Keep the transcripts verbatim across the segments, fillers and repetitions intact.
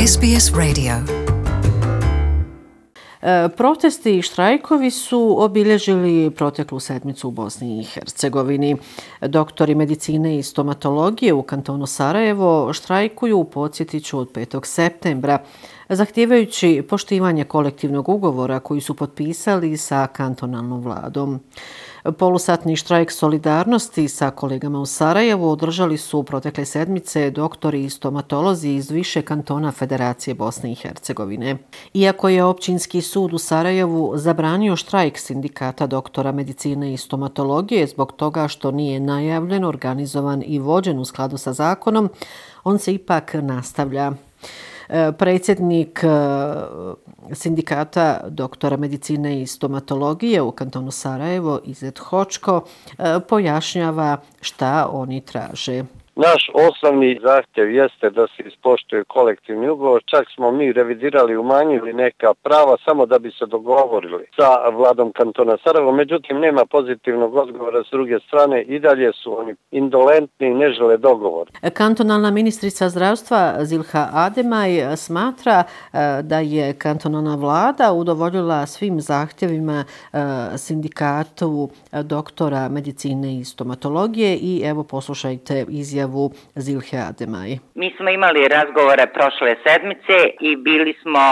S B S Radio. Protesti i štrajkovi su obilježili proteklu sedmicu u Bosni i Hercegovini. Doktori medicine i stomatologije u kantonu Sarajevo štrajkuju, podsjetit ću, od petog septembra, zahtijevajući poštivanje kolektivnog ugovora koji su potpisali sa kantonalnom vladom. Polusatni štrajk solidarnosti sa kolegama u Sarajevu održali su protekle sedmice doktori i stomatolozi iz više kantona Federacije Bosne i Hercegovine. Iako je Općinski sud u Sarajevu zabranio štrajk sindikata doktora medicine i stomatologije zbog toga što nije najavljen, organizovan i vođen u skladu sa zakonom, on se ipak nastavlja. Predsjednik sindikata doktora medicine i stomatologije u kantonu Sarajevo, Izet Hočko, pojašnjava šta oni traže. Naš osnovni zahtjev jeste da se ispoštuje kolektivni ugovor, čak smo mi revidirali, umanjili neka prava samo da bi se dogovorili sa vladom kantona Sarajevo, međutim nema pozitivnog odgovora s druge strane, i dalje su oni indolentni i ne žele dogovor. Kantonalna ministrica zdravstva Zilha Ademaj smatra da je kantonalna vlada udovoljila svim zahtjevima sindikatu doktora medicine i stomatologije i evo poslušajte izjavu Zilhe Ademaj. Mi smo imali razgovore prošle sedmice i bili smo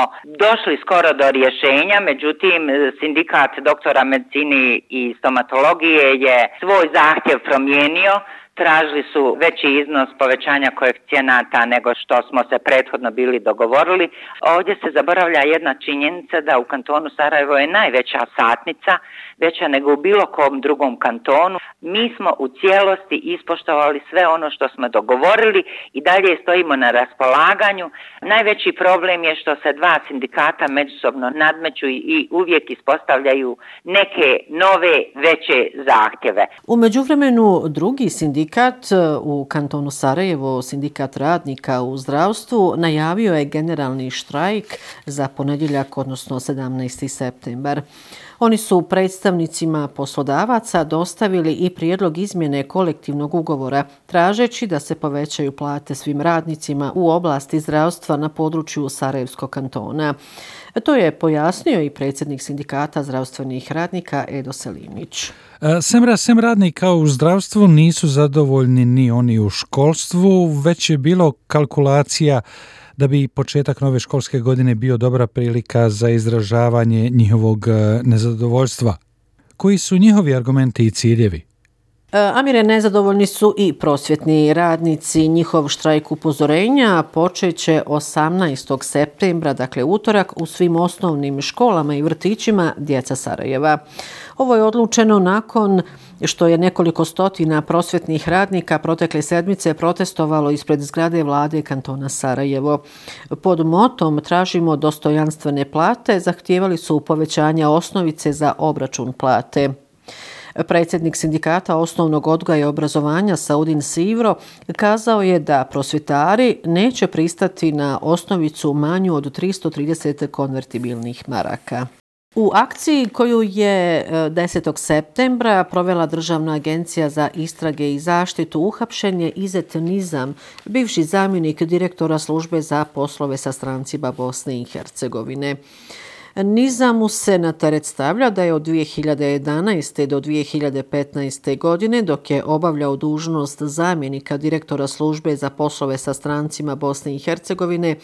došli skoro do rješenja, međutim sindikat doktora medicine i stomatologije je svoj zahtjev promijenio. Tražili su veći iznos povećanja koeficijenata nego što smo se prethodno bili dogovorili. Ovdje se zaboravlja jedna činjenica da u kantonu Sarajevo je najveća satnica, veća nego u bilo kom drugom kantonu. Mi smo u cijelosti ispoštovali sve ono što smo dogovorili i dalje stojimo na raspolaganju. Najveći problem je što se dva sindikata međusobno nadmeću i uvijek ispostavljaju neke nove veće zahtjeve. U međuvremenu drugi sindikat u kantonu Sarajevo, sindikat radnika u zdravstvu, najavio je generalni štrajk za ponedjeljak, odnosno sedamnaesti septembar. Oni su predstavnicima poslodavaca dostavili i prijedlog izmjene kolektivnog ugovora, tražeći da se povećaju plate svim radnicima u oblasti zdravstva na području Sarajevskog kantona. To je pojasnio i predsjednik sindikata zdravstvenih radnika Edo Selimić. Semra sem radnika u zdravstvu nisu zadovoljni ni oni u školstvu, već je bilo kalkulacija da bi početak nove školske godine bio dobra prilika za izražavanje njihovog nezadovoljstva. Koji su njihovi argumenti i ciljevi? Amire, nezadovoljni su i prosvjetni radnici. Njihov štrajk upozorenja počeće osamnaestog septembra, dakle utorak, u svim osnovnim školama i vrtićima djeca Sarajeva. Ovo je odlučeno nakon što je nekoliko stotina prosvjetnih radnika protekle sedmice protestovalo ispred zgrade vlade kantona Sarajevo. Pod motom tražimo dostojanstvene plate, zahtijevali su povećanja osnovice za obračun plate. Predsjednik sindikata osnovnog odgoja i obrazovanja Saudin Sivro kazao je da prosvjetari neće pristati na osnovicu manju od tristo trideset konvertibilnih maraka. U akciji koju je desetog septembra provela Državna agencija za istrage i zaštitu uhapšen je Izet Nizam, bivši zamjenik direktora službe za poslove sa strancima Bosne i Hercegovine. Nizamu se na teret stavlja da je od dvije hiljade jedanaeste do dvije hiljade petnaeste godine, dok je obavljao dužnost zamjenika direktora službe za poslove sa strancima Bosne i Hercegovine,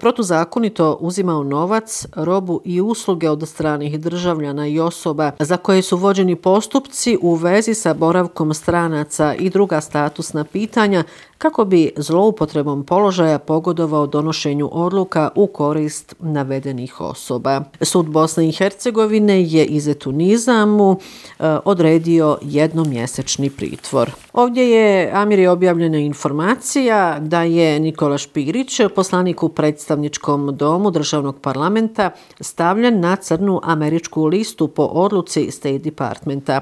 protuzakonito uzimao novac, robu i usluge od stranih državljana i osoba za koje su vođeni postupci u vezi sa boravkom stranaca i druga statusna pitanja kako bi zloupotrebom položaja pogodovao donošenju odluka u korist navedenih osoba. Sud Bosne i Hercegovine je Izetu Nizamu e, odredio jednomjesečni pritvor. Ovdje je, Amir, objavljena informacija da je Nikola Špirić, poslanik u predstavničkom domu državnog parlamenta, stavljen na crnu američku listu po odluci State Departmenta.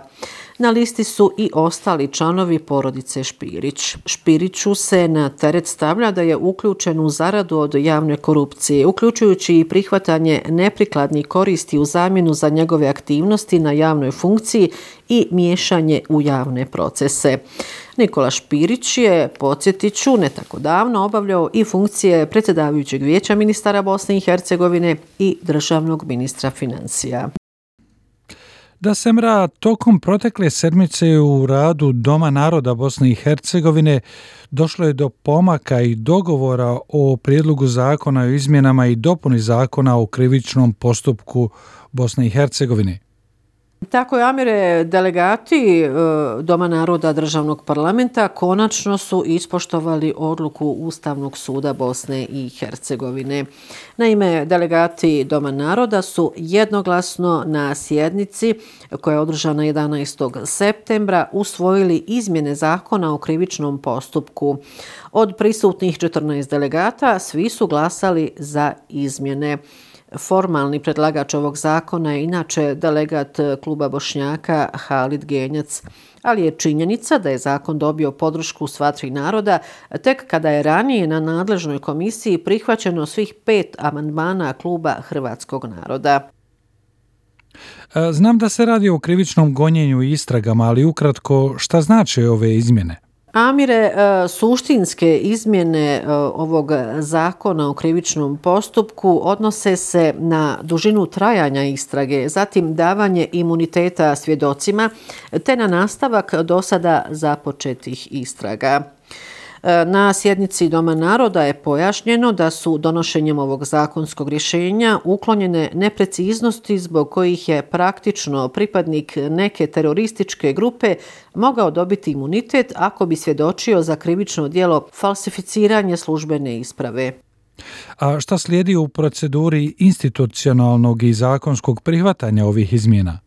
Na listi su i ostali članovi porodice Špirić. Špiriću se na teret stavlja da je uključen u zaradu od javne korupcije, uključujući i prihvatanje neprikladnih koristi u zamjenu za njegove aktivnosti na javnoj funkciji i miješanje u javne procese. Nikola Špirić je, podsjetit ću, ne tako davno obavljao i funkcije predsjedavajućeg vijeća ministara Bosne i Hercegovine i državnog ministra financija. Da se mra, tokom protekle sedmice u radu Doma naroda Bosne i Hercegovine došlo je do pomaka i dogovora o prijedlogu zakona o izmjenama i dopuni zakona o krivičnom postupku Bosne i Hercegovine. Tako je, Amire, delegati Doma naroda državnog parlamenta konačno su ispoštovali odluku Ustavnog suda Bosne i Hercegovine. Naime, delegati Doma naroda su jednoglasno na sjednici koja je održana jedanaestog septembra usvojili izmjene zakona o krivičnom postupku. Od prisutnih četrnaest delegata svi su glasali za izmjene. Formalni predlagač ovog zakona je inače delegat kluba Bošnjaka Halid Genjac, ali je činjenica da je zakon dobio podršku sva tri naroda tek kada je ranije na nadležnoj komisiji prihvaćeno svih pet amandmana kluba Hrvatskog naroda. Znam da se radi o krivičnom gonjenju i istragama, ali ukratko šta znače ove izmjene? Amire, suštinske izmjene ovog zakona o krivičnom postupku odnose se na dužinu trajanja istrage, zatim davanje imuniteta svjedocima, te na nastavak do sada započetih istraga. Na sjednici Doma naroda je pojašnjeno da su donošenjem ovog zakonskog rješenja uklonjene nepreciznosti zbog kojih je praktično pripadnik neke terorističke grupe mogao dobiti imunitet ako bi svjedočio za krivično djelo falsificiranje službene isprave. A šta slijedi u proceduri institucionalnog i zakonskog prihvatanja ovih izmjena?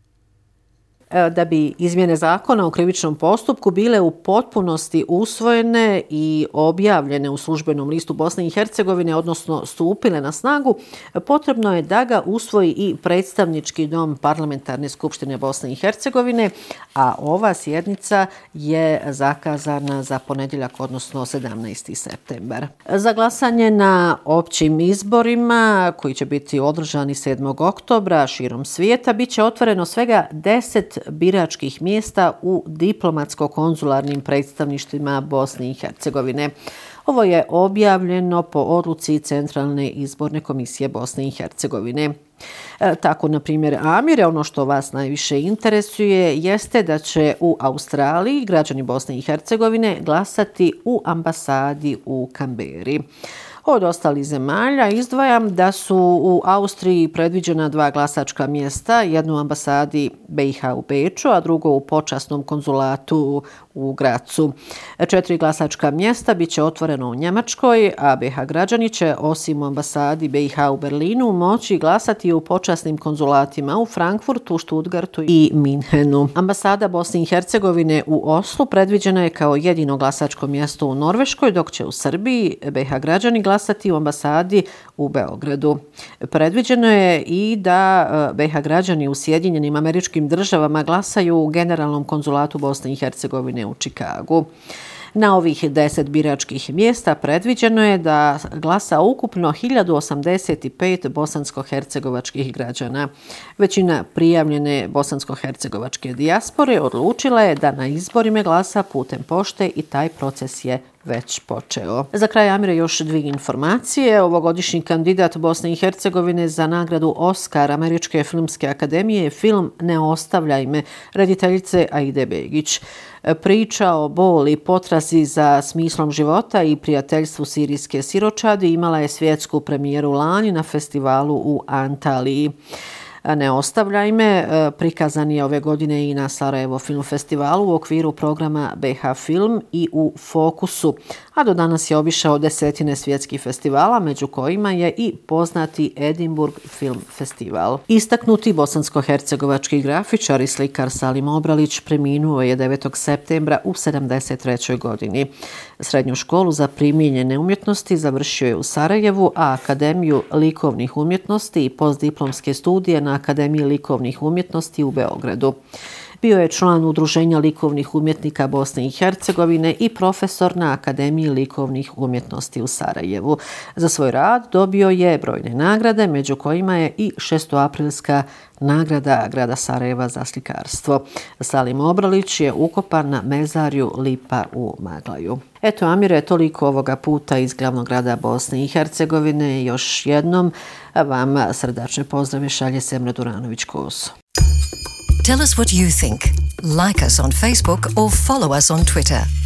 Da bi izmjene zakona o krivičnom postupku bile u potpunosti usvojene i objavljene u službenom listu Bosne i Hercegovine, odnosno stupile na snagu, potrebno je da ga usvoji i predstavnički dom Parlamentarne skupštine Bosne i Hercegovine, a ova sjednica je zakazana za ponedjeljak, odnosno sedamnaesti septembar. Za glasanje na općim izborima, koji će biti održani sedmog oktobra širom svijeta, bit će otvoreno svega deset biračkih mjesta u diplomatsko-konzularnim predstavništvima Bosne i Hercegovine. Ovo je objavljeno po odluci Centralne izborne komisije Bosne i Hercegovine. E, tako, na primjer, Amire, ono što vas najviše interesuje jeste da će u Australiji građani Bosne i Hercegovine glasati u ambasadi u Kamberi. Od ostalih zemalja izdvajam da su u Austriji predviđena dva glasačka mjesta, jedno u ambasadi B i H u Beču, a drugo u počasnom konzulatu u Gracu. Četiri glasačka mjesta bit će otvoreno u Njemačkoj, a B i H građani će osim u ambasadi B i H u Berlinu moći glasati u počasnim konzulatima u Frankfurtu, Stuttgartu i Minhenu. Ambasada Bosne i Hercegovine u Oslu predviđena je kao jedino glasačko mjesto u Norveškoj, dok će u Srbiji B i H građani glasati u ambasadi u Beogradu. Predviđeno je i da B i H građani u Sjedinjenim Američkim Državama glasaju u Generalnom konzulatu Bosne i Hercegovine u Čikagu. Na ovih deset biračkih mjesta predviđeno je da glasa ukupno hiljadu osamdeset pet bosansko-hercegovačkih građana. Većina prijavljene bosansko-hercegovačke dijaspore odlučila je da na izborima glasa putem pošte i taj proces je već počeo. Za kraj, Amire, još dvije informacije. Ovogodišnji kandidat Bosne i Hercegovine za nagradu Oskar Američke filmske akademije je film Ne ostavljaj me rediteljice Aide Begić. Priča o boli, potrazi za smislom života i prijateljstvu sirijske siročadi imala je svjetsku premijeru lani na festivalu u Antaliji. Ne ostavljaj me prikazan je ove godine i na Sarajevo Film Festivalu u okviru programa B H Film i u Fokusu, a do danas je obišao desetine svjetskih festivala, među kojima je i poznati Edinburgh Film Festival. Istaknuti bosansko-hercegovački grafičar i slikar Salim Obralić preminuo je devetog septembra u sedamdeset trećoj godini. Srednju školu za primijenjene umjetnosti završio je u Sarajevu, a Akademiju likovnih umjetnosti i postdiplomske studije na Akademiji likovnih umjetnosti u Beogradu. Bio je član Udruženja likovnih umjetnika Bosne i Hercegovine i profesor na Akademiji likovnih umjetnosti u Sarajevu. Za svoj rad dobio je brojne nagrade, među kojima je i šestoaprilska nagrada grada Sarajeva za slikarstvo. Salim Obralić je ukopan na mezarju Lipa u Maglaju. Eto, Amire, toliko ovoga puta iz glavnog grada Bosne i Hercegovine. Još jednom vam srdačne pozdrave šalje Semra Duranović-Kos. Tell us what you think. Like us on Facebook or follow us on Twitter.